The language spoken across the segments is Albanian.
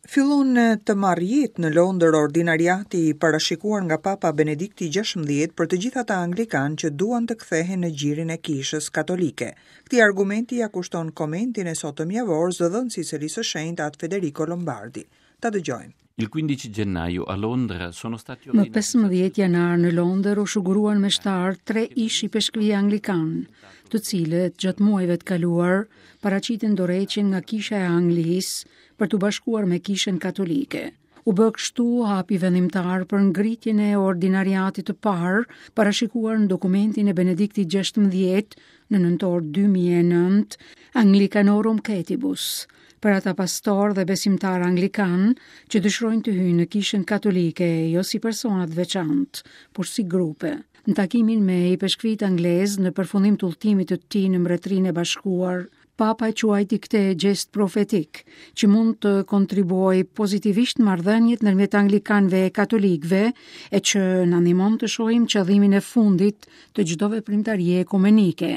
Fillon të marrë jetë në Londër ordinariati i parashikuar nga Papa Benedikti XVI për të gjithë ata anglikanë që duan të kthehen në gjirin e Kishës Katolike. Këtij argumenti ia kushton komentin e sotëm javor zëdhënësi i Selisë së Shenjtë At Federico Lombardi. Ta dëgjojmë. Il 15 gennaio a Londra sono stati Më 15 janar në Londër u shuguruan meshtarë tre ish-ipeshkvij anglikanë, të cilët gjatë muajve të kaluar paraqitën dorëheqjen nga Kisha e Anglisë për t'u bashkuar me Kishën Katolike. U bë kështu hapi vendimtar për ngritjen e ordinariatit të parë, parashikuar në dokumentin e Benediktit XVI në nëntor 2009, Anglicanorum Coetibus, për ata pastorë dhe besimtarë anglikanë që dëshirojnë të hyjnë në Kishën Katolike jo si persona të veçantë, por si grupe. Në takimin me ipeshkvijtë anglezë në përfundim të udhëtimit të tij në Mbretërinë e Bashkuar, Papa e quajti këtë gjest profetik, që mund të kontribuojë pozitivisht në marrëdhëniet ndërmjet anglikanëve e katolikëve e që na ndihmon të shohim qëllimin e fundit të çdo veprimtarie ekumenike,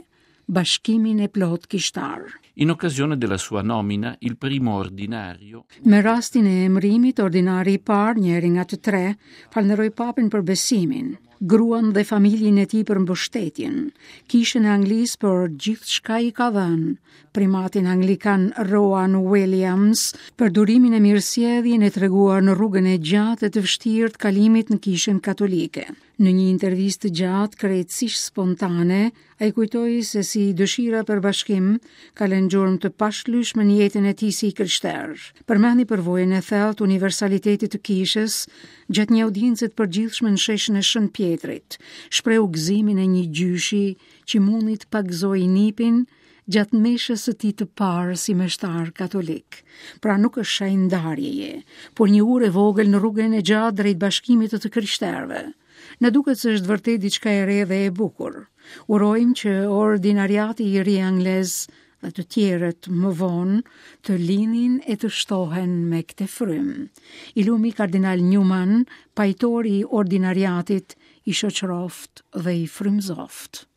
bashkimin e plotë kishtar. In occasione della sua nomina, il primo ordinario Me rastin e emërimit, ordinari i parë, njëri nga të tre, falënderoi Papën për besimin, gruan dhe familjen e tij për mbështetjen, Kishën e Anglisë për gjithçka i ka dhënë, primatin anglikan Rowan Williams për durimin e mirësjelljen e treguar në rrugën e gjatë e të vështirë të kalimit në Kishën Katolike. Në një intervistë të gjatë, krejtësisht spontane, ai kujtoi se si dëshira për bashkim ka lënë gjurmë të pashlyeshme në jetën e tij si i krishterë. Përmendi përvojën e thellë të universalitetit të kishës gjatë një audience të përgjithshme në sheshin e Shën Pjetrit. Shprehu gëzimin e një gjyshi që mundi të pagëzojë nipin gjatë meshës së tij të parë si meshtar katolik. Pra nuk është shenjë ndarjeje, por një urë e vogël në rrugën e gjatë drejt bashkimit të të krishterëve. Na duket se është vërtet diçka e re dhe e bukur. Urojmë që ordinariati i ri anglez dhe të tjerët më vonë të lindin e të shtohen me këtë frymë. I lumi kardinal Newman, pajtor i ordinariatit, i shoqëroftë dhe i frymëzoftë.